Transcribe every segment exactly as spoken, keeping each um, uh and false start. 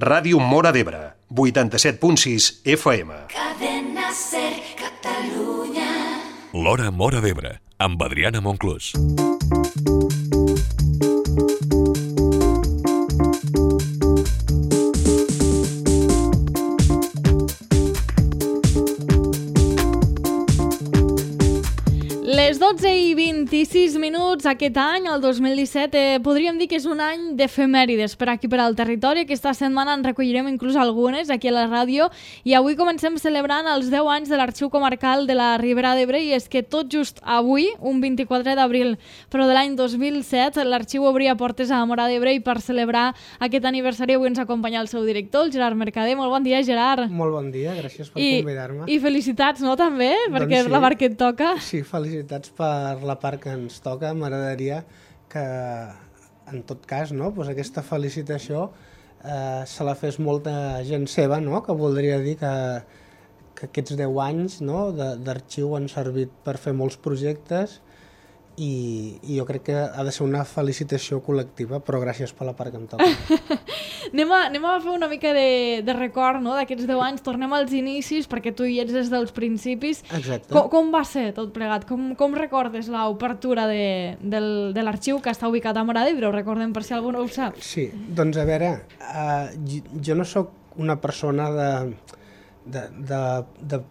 Ràdio Móra d'Ebre, vuitanta-set punt sis F M. Cadena Ser Catalunya. L'Hora Móra d'Ebre, amb Adriana Monclús. Les dotze i vint-i-sis minuts aquest any, el dos mil disset, eh, podríem dir que és un any d'efemèrides per aquí per al territori. Aquesta setmana en recollirem inclús algunes aquí a la ràdio i avui comencem celebrant els deu anys de l'Arxiu Comarcal de la Ribera d'Ebre i és que tot just avui, un vint-i-quatre d'abril, però de l'any dos mil set, l'arxiu obria portes a Móra d'Ebre i per celebrar aquest aniversari avui ens acompanya el seu director, el Gerard Mercader. Molt bon dia, Gerard. Molt bon dia, gràcies per I, convidar-me. I felicitats, no, també? Perquè Doncs és sí. la part que et toca. Sí, felicitats per la part que ens toca. M'agradaria que, en tot cas, no, doncs aquesta felicitació eh, se la fes molta gent seva, no? Que voldria dir que, que aquests deu anys, no, d'arxiu han servit per fer molts projectes i, i jo crec que ha de ser una felicitació col·lectiva, però gràcies per la part que em toca. anem, a, anem a fer una mica de, de record, no, d'aquests deu anys. Tornem als inicis, perquè tu hi ets des dels principis. Exacte. Com, com va ser tot plegat? Com, com recordes l'obertura de, del, de l'arxiu que està ubicat a Móra d'Ebre? Ho recordem per si algú no ho sap. Sí, doncs a veure, uh, jo no sóc una persona de, de, de, de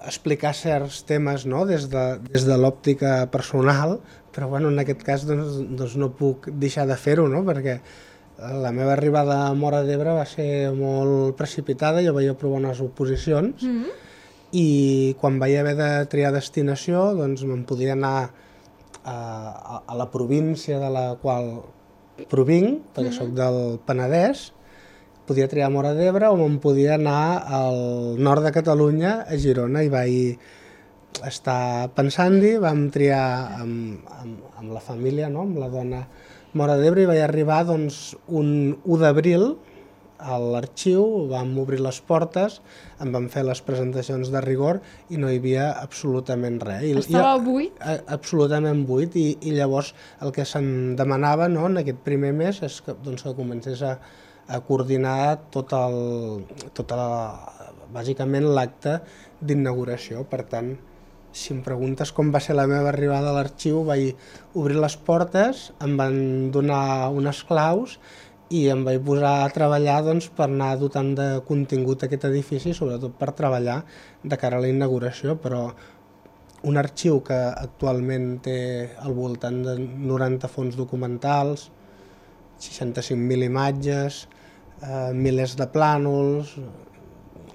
explicar certs temes, no? des de, des de l'òptica personal, però bueno, en aquest cas doncs, doncs no puc deixar de fer-ho, no? Perquè la meva arribada a Móra d'Ebre va ser molt precipitada, jo vaig aprovar unes oposicions mm-hmm. i quan vaig haver de triar destinació doncs me'n podia anar a, a, a la província de la qual provinc, perquè mm-hmm. soc del Penedès, podia triar Móra d'Ebre o me'n podia anar al nord de Catalunya, a Girona, i vaig estar pensant-hi, vam triar amb, amb, amb la família, no? Amb la dona Móra d'Ebre, i vaig arribar doncs, un u d'abril a l'arxiu, vam obrir les portes, em van fer les presentacions de rigor i no hi havia absolutament res. I, Estava buit? A, absolutament buit, i, i llavors el que se'n demanava, no, en aquest primer mes és que, doncs, que comencés a a coordinar tot el, tota la, bàsicament l'acte d'inauguració. Per tant, si em preguntes com va ser la meva arribada a l'arxiu, vaig obrir les portes, em van donar unes claus i em vaig posar a treballar doncs, per anar dotant de contingut aquest edifici, sobretot per treballar de cara a la inauguració, però un arxiu que actualment té al voltant de noranta fons documentals, seixanta-cinc mil imatges, eh, milers de plànols,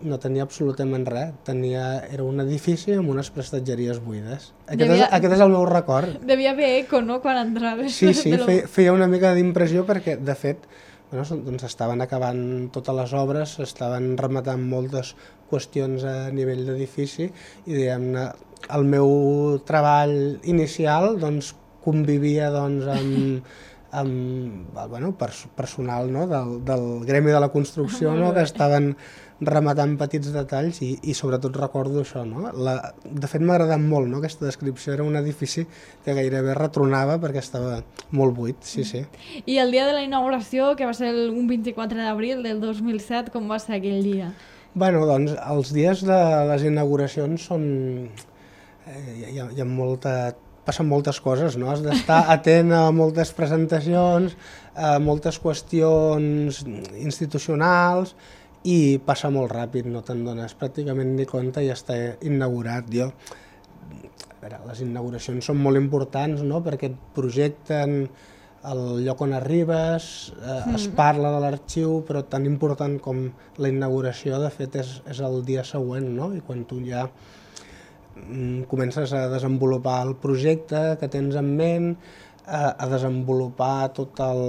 no tenia absolutament res. Tenia, era un edifici amb unes prestatgeries buides. Aquest, Devia... és, aquest és el meu record. Devia haver eco, no?, quan entraves. Sí, sí, feia, feia una mica d'impressió perquè, de fet, bueno, doncs estaven acabant totes les obres, estaven rematant moltes qüestions a nivell d'edifici i, diguem-ne, el meu treball inicial doncs, convivia doncs, amb... amb bueno, personal, no? del, del gremi de la construcció, no? Que estaven rematant petits detalls i, i sobretot recordo això. No? La, de fet m'ha agradat molt, no? Aquesta descripció, era un edifici que gairebé retronava perquè estava molt buit, sí, sí. I el dia de la inauguració, que va ser el, un vint-i-quatre d'abril del dos mil set, com va ser aquell dia? Bueno, doncs els dies de les inauguracions són... Eh, hi, ha, hi ha molta... passen moltes coses, no? Has d'estar atent a moltes presentacions, a moltes qüestions institucionals i passa molt ràpid, no te'n dones pràcticament ni compte i ja està inaugurat. Jo, a veure, les inauguracions són molt importants, no? Perquè et projecten el lloc on arribes, eh, es parla de l'arxiu, però tan important com la inauguració, de fet, és, és el dia següent, no? I quan tu ja comences a desenvolupar el projecte que tens en ment, a, a desenvolupar totes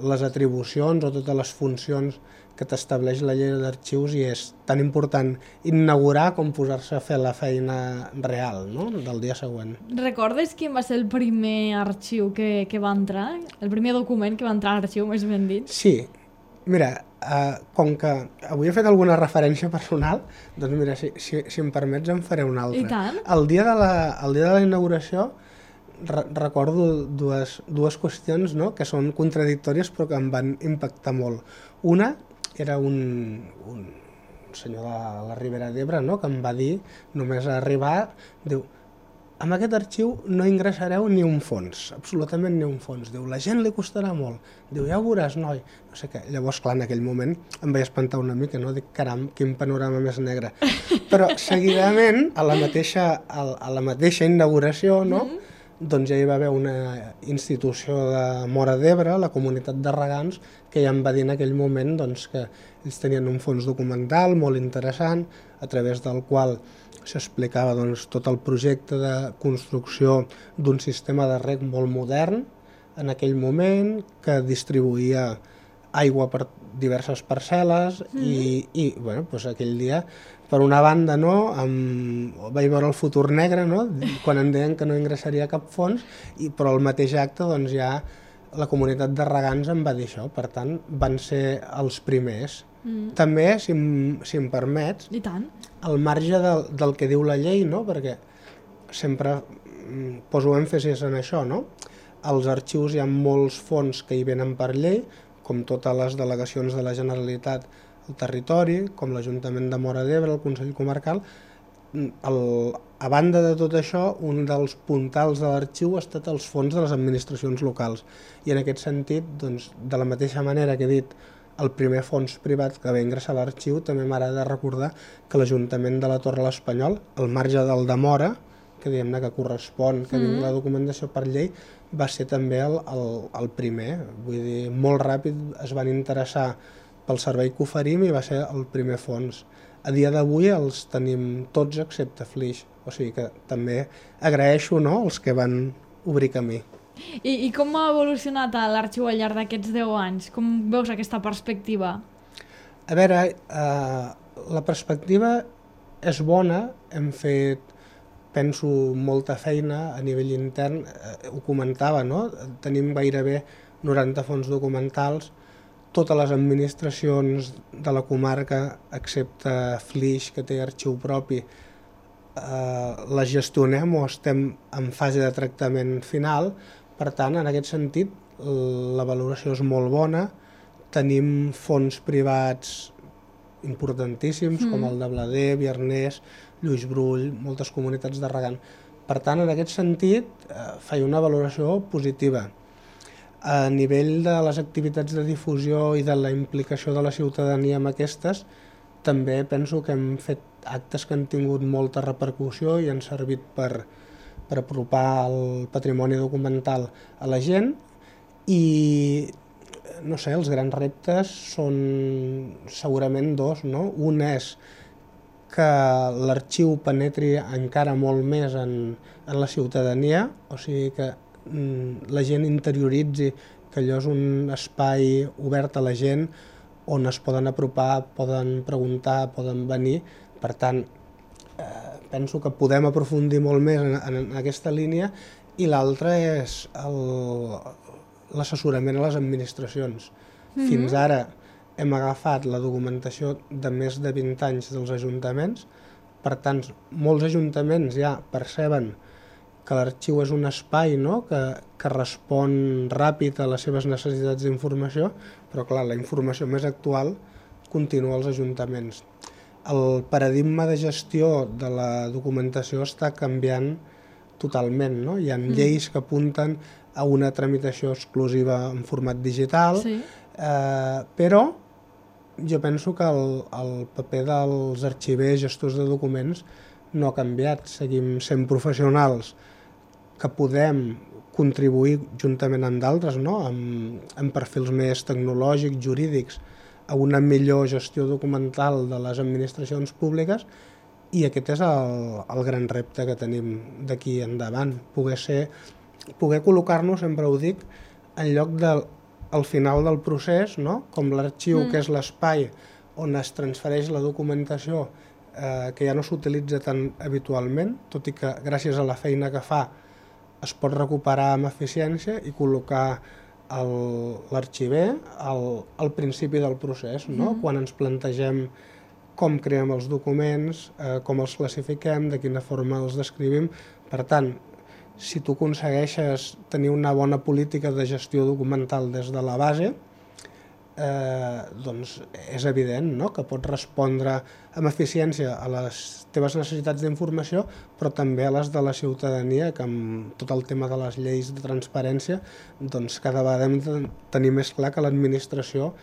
les atribucions o totes les funcions que t'estableix la llei d'arxius, i és tan important inaugurar com posar-se a fer la feina real, no? Del dia següent. Recordes quin va ser el primer arxiu que, que va entrar? El primer document que va entrar a l'arxiu, més ben dit? Sí. Mira, uh, com que avui he fet alguna referència personal, doncs mira, si, si, si em permets en faré una altra. I tant. El dia de la, el dia de la inauguració re recordo dues, dues qüestions, no?, que són contradictòries però que em van impactar molt. Una era un, un senyor de la Ribera d'Ebre, no?, que em va dir, només a arribar, diu, amb aquest arxiu no ingressareu ni un fons, absolutament ni un fons. Diu, la gent li costarà molt. Diu, ja ho veuràs, noi. No sé què. Llavors, clar, en aquell moment em vaig espantar una mica, no? Dic, caram, quin panorama més negre. Però, seguidament, a la mateixa, a la mateixa inauguració, no?, mm-hmm. doncs ja hi va haver una institució de Móra d'Ebre, la Comunitat de Regants, que ja em va dir en aquell moment doncs, que ells tenien un fons documental molt interessant, a través del qual s'explicava doncs, tot el projecte de construcció d'un sistema de reg molt modern en aquell moment, que distribuïa aigua per diverses parcel·les mm. i, i bueno, doncs aquell dia, per una banda, no, amb, vaig veure el futur negre, no, quan em deien que no ingressaria cap fons, i, però al mateix acte doncs, ja la Comunitat de Regants em va dir això, per tant van ser els primers. Mm. També, si em, si em permets, I tant. al marge del, del que diu la llei, no? Perquè sempre poso èmfasis en això, no? Als arxius hi ha molts fons que hi venen per llei, com totes les delegacions de la Generalitat al territori, com l'Ajuntament de Móra d'Ebre, el Consell Comarcal. El, a banda de tot això, un dels puntals de l'arxiu ha estat els fons de les administracions locals. I en aquest sentit, doncs, de la mateixa manera que he dit el primer fons privat que va ingressar a l'arxiu, també m'agrada recordar que l'Ajuntament de la Torre de l'Espanyol, al marge del de Móra, que diguem-ne que correspon, que mm-hmm. vingui la documentació per llei, va ser també el, el, el primer. Vull dir, molt ràpid es van interessar pel servei que oferim i va ser el primer fons. A dia d'avui els tenim tots excepte Flix, o sigui que també agraeixo, no?, els que van obrir camí. I, I com ha evolucionat l'arxiu al llarg d'aquests deu anys? Com veus aquesta perspectiva? A veure, eh, la perspectiva és bona, hem fet, penso, molta feina a nivell intern, eh, ho comentava, no? Tenim gairebé noranta fons documentals, totes les administracions de la comarca, excepte Flix, que té arxiu propi, eh, les gestionem o estem en fase de tractament final. Per tant, en aquest sentit, la valoració és molt bona. Tenim fons privats importantíssims, mm. com el de Blader, Biarnès, Lluís Brull, moltes comunitats de regant. Per tant, en aquest sentit, eh, faig una valoració positiva. A nivell de les activitats de difusió i de la implicació de la ciutadania amb aquestes, també penso que hem fet actes que han tingut molta repercussió i han servit per, per apropar el patrimoni documental a la gent. I, no sé, els grans reptes són segurament dos, no? Un és que l'arxiu penetri encara molt més en, en la ciutadania, o sigui que la gent interioritzi que allò és un espai obert a la gent on es poden apropar, poden preguntar, poden venir. Per tant, eh, penso que podem aprofundir molt més en, en aquesta línia. I l'altra és l'assessorament a les administracions. Mm-hmm. Fins ara hem agafat la documentació de més de vint anys dels ajuntaments, per tant, molts ajuntaments ja perceben que l'arxiu és un espai, no?, que, que respon ràpid a les seves necessitats d'informació, però clar, la informació més actual continua als ajuntaments. El paradigma de gestió de la documentació està canviant totalment, no? Hi ha mm. lleis que apunten a una tramitació exclusiva en format digital, sí. eh, però jo penso que el, el paper dels arxivers, gestors de documents, no ha canviat. Seguim sent professionals que podem contribuir juntament amb d'altres, no? amb, amb perfils més tecnològics, jurídics, a una millor gestió documental de les administracions públiques, i aquest és el, el gran repte que tenim d'aquí endavant, poder ser, poder col·locar-nos, sempre ho dic, en lloc del al final del procés, no? Com l'arxiu, mm. que és l'espai on es transfereix la documentació, eh, que ja no s'utilitza tan habitualment, tot i que gràcies a la feina que fa es pot recuperar amb eficiència i col·locar l'arxiver al, al principi del procés, no? Mm. Quan ens plantegem com creem els documents, eh, com els classifiquem, de quina forma els descrivim. Per tant, si tu aconsegueixes tenir una bona política de gestió documental des de la base, eh, doncs és evident, no?, que pots respondre amb eficiència a les teves necessitats d'informació, però també a les de la ciutadania, que amb tot el tema de les lleis de transparència, doncs cada vegada hem de tenir més clar que l'administració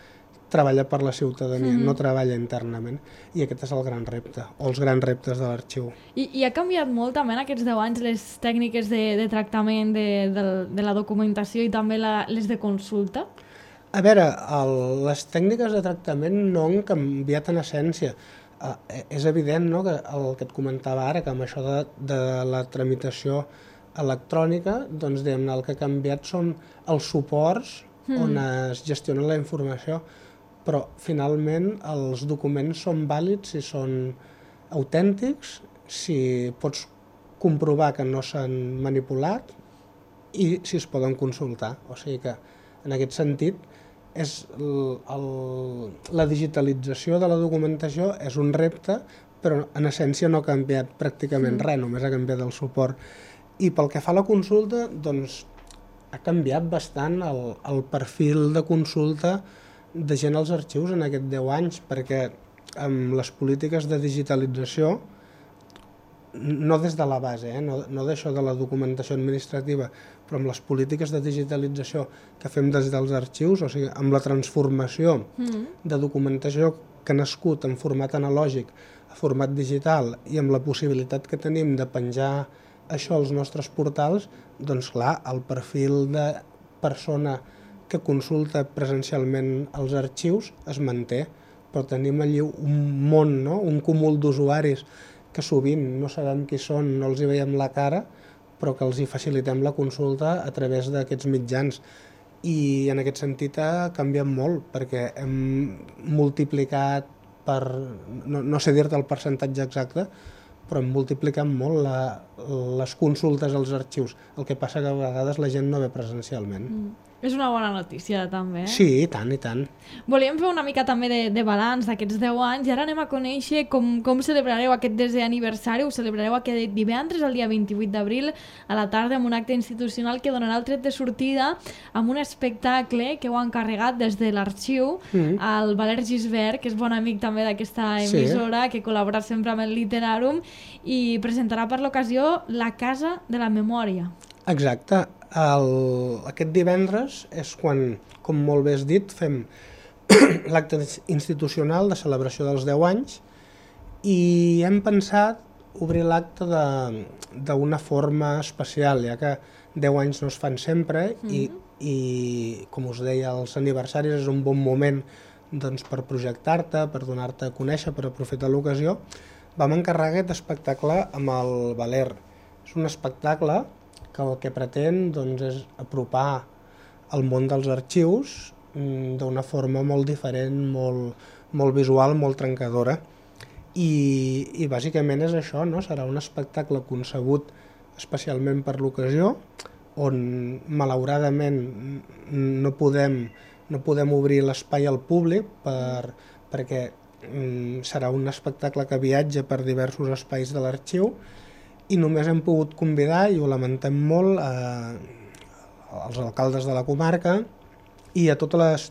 treballa per la ciutadania, mm-hmm. no treballa internament, i aquest és el gran repte, o els grans reptes de l'arxiu. I, i ha canviat molt també en aquests deu anys les tècniques de, de tractament de, de, de la documentació i també la, les de consulta? A veure, el, les tècniques de tractament no han canviat en essència. Uh, és evident, no?, que el que et comentava ara, que amb això de, de la tramitació electrònica, doncs diguem-ne, el que ha canviat són els suports mm. on es gestiona la informació, però finalment els documents són vàlids si són autèntics, si pots comprovar que no s'han manipulat i si es poden consultar. O sigui que en aquest sentit és el, el, la digitalització de la documentació és un repte, però en essència no ha canviat pràcticament mm. res, només ha canviat el suport. I pel que fa a la consulta, doncs ha canviat bastant el, el perfil de consulta de gent als arxius en aquests deu anys, perquè amb les polítiques de digitalització, no des de la base, eh, no, no d'això de la documentació administrativa, però amb les polítiques de digitalització que fem des dels arxius, o sigui, amb la transformació mm. de documentació que ha nascut en format analògic a format digital i amb la possibilitat que tenim de penjar això als nostres portals, doncs clar, el perfil de persona que consulta presencialment els arxius es manté, però tenim allí un món, no?, un cúmul d'usuaris que sovint no sabem qui són, no els hi veiem la cara, però que els hi facilitem la consulta a través d'aquests mitjans. I en aquest sentit ha canviat molt, perquè hem multiplicat per, no, no sé dir-te el percentatge exacte, però hem multiplicat molt la, les consultes als arxius. El que passa que a vegades la gent no ve presencialment. Mm. És una bona notícia, també. Eh? Sí, i tant, i tant. Volíem fer una mica també de, de balanç d'aquests deu anys i ara anem a conèixer com, com celebrareu aquest desè aniversari. Ho celebrareu aquest divendres, el dia vint-i-vuit d'abril, a la tarda, amb un acte institucional que donarà el tret de sortida amb un espectacle que heu encarregat des de l'arxiu mm. al Valer Gisbert, que és bon amic també d'aquesta emissora, sí. que col·labora sempre amb el Literàrum, i presentarà per l'ocasió La Casa de la Memòria. Exacte. El, aquest divendres és quan, com molt bé has dit, fem l'acte institucional de celebració dels deu anys i hem pensat obrir l'acte d'una forma especial, ja que deu anys no es fan sempre mm-hmm. i, i, com us deia, els aniversaris és un bon moment doncs, per projectar-te, per donar-te a conèixer, per aprofitar l'ocasió. Vam encarregar aquest espectacle amb el Valer. És un espectacle que el que pretén doncs, és apropar el món dels arxius d'una forma molt diferent, molt, molt visual, molt trencadora. I, i bàsicament és això, no? Serà un espectacle concebut especialment per l'ocasió, on malauradament no podem, no podem obrir l'espai al públic per, perquè mm, serà un espectacle que viatja per diversos espais de l'arxiu, i només hem pogut convidar, i ho lamentem molt, eh, als alcaldes de la comarca i a totes les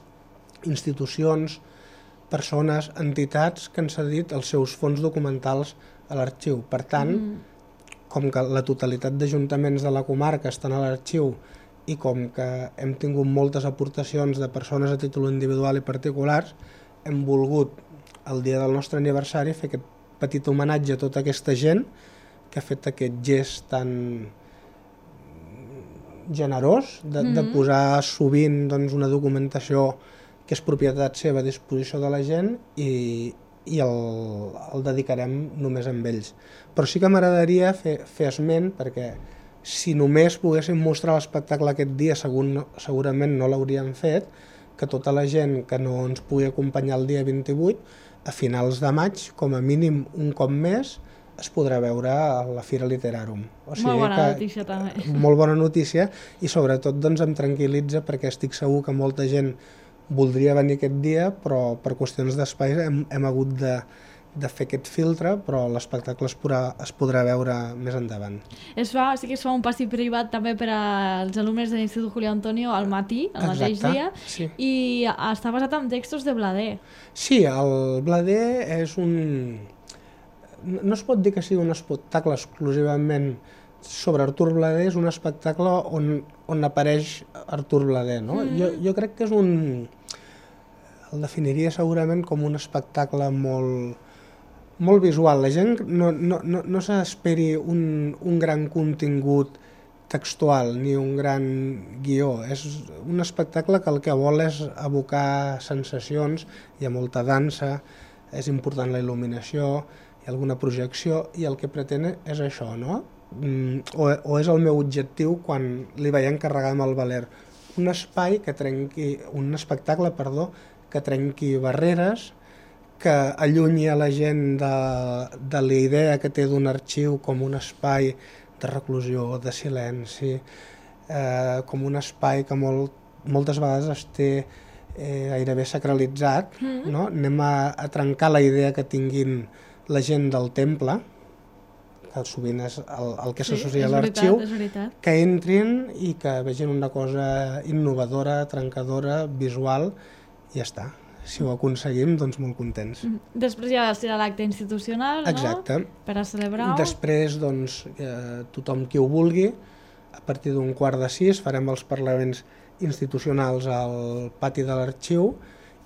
institucions, persones, entitats que han cedit els seus fons documentals a l'arxiu. Per tant, mm. com que la totalitat d'ajuntaments de la comarca estan a l'arxiu i com que hem tingut moltes aportacions de persones a títol individual i particulars, hem volgut, el dia del nostre aniversari, fer aquest petit homenatge a tota aquesta gent que ha fet aquest gest tan generós de, mm-hmm. de posar sovint doncs, una documentació que és propietat seva a disposició de la gent i, i el, el dedicarem només a ells. Però sí que m'agradaria fer, fer esment, perquè si només poguéssim mostrar l'espectacle aquest dia, segur, segurament no l'hauríem fet, que tota la gent que no ens pugui acompanyar el dia vint-i-vuit, a finals de maig, com a mínim un cop més, es podrà veure a la Fira Literàrum. O sigui molt bona que, notícia, també. Molt bona notícia, i sobretot doncs, em tranquil·litza perquè estic segur que molta gent voldria venir aquest dia, però per qüestions d'espai hem, hem hagut de, de fer aquest filtre, però l'espectacle es podrà, es podrà veure més endavant. Es fa, sí que es fa un passi privat també per als alumnes de l'Institut Julio Antonio al matí, el mateix Exacte, dia, sí. i està basat en textos de Blader. Sí, el Blader és un... No es pot dir que sigui un espectacle exclusivament sobre Artur Blader, és un espectacle on, on apareix Artur Blader, no? Mm. Jo, jo crec que és un... El definiria segurament com un espectacle molt, molt visual. La gent no, no, no, no s'esperi un, un gran contingut textual ni un gran guió. És un espectacle que el que vol és evocar sensacions, hi ha molta dansa, és important la il·luminació, hi ha alguna projecció i el que pretén és això, no? O, o és el meu objectiu quan li vaig encarregar amb el Valer. Un espai que trenqui, un espectacle, perdó, que trenqui barreres, que allunyi a la gent de, de la idea que té d'un arxiu com un espai de reclusió, de silenci, eh, com un espai que molt, moltes vegades es té eh, gairebé sacralitzat, mm-hmm. no? Anem a, a trencar la idea que tinguin la gent del temple, que sovint és el, el que s'associa sí, a l'arxiu, que entrin i que vegin una cosa innovadora, trencadora, visual, i ja està. Si ho aconseguim, doncs molt contents. Després ja serà l'acte institucional, no? Exacte. Per a celebrar-ho. Després, doncs, eh, tothom qui ho vulgui, a partir d'un quart de sis farem els parlaments institucionals al pati de l'arxiu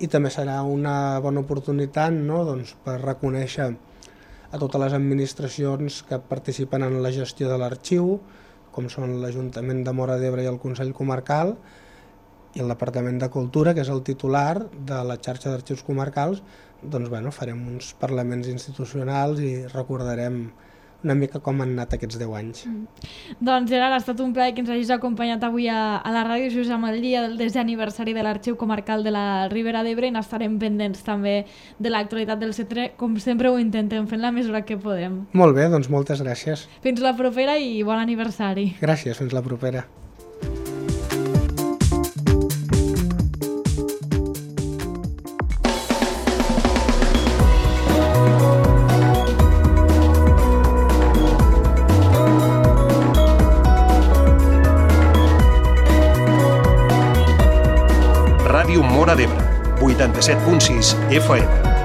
i també serà una bona oportunitat, no?, doncs, per reconèixer a totes les administracions que participen en la gestió de l'arxiu, com són l'Ajuntament de Móra d'Ebre i el Consell Comarcal, i el Departament de Cultura, que és el titular de la xarxa d'arxius comarcals, doncs bueno, farem uns parlaments institucionals i recordarem una mica com han anat aquests deu anys. Mm. Doncs Gerard, ha estat un plaer que ens hagis acompanyat avui a, a la ràdio just amb el dia del desè aniversari de l'Arxiu Comarcal de la Ribera d'Ebre i n'estarem pendents també de l'actualitat del centre, com sempre ho intentem fer en la mesura que podem. Molt bé, doncs moltes gràcies. Fins la propera i bon aniversari. Gràcies, fins la propera. Ràdio Móra d'Ebre, vuitanta-set punt sis F M.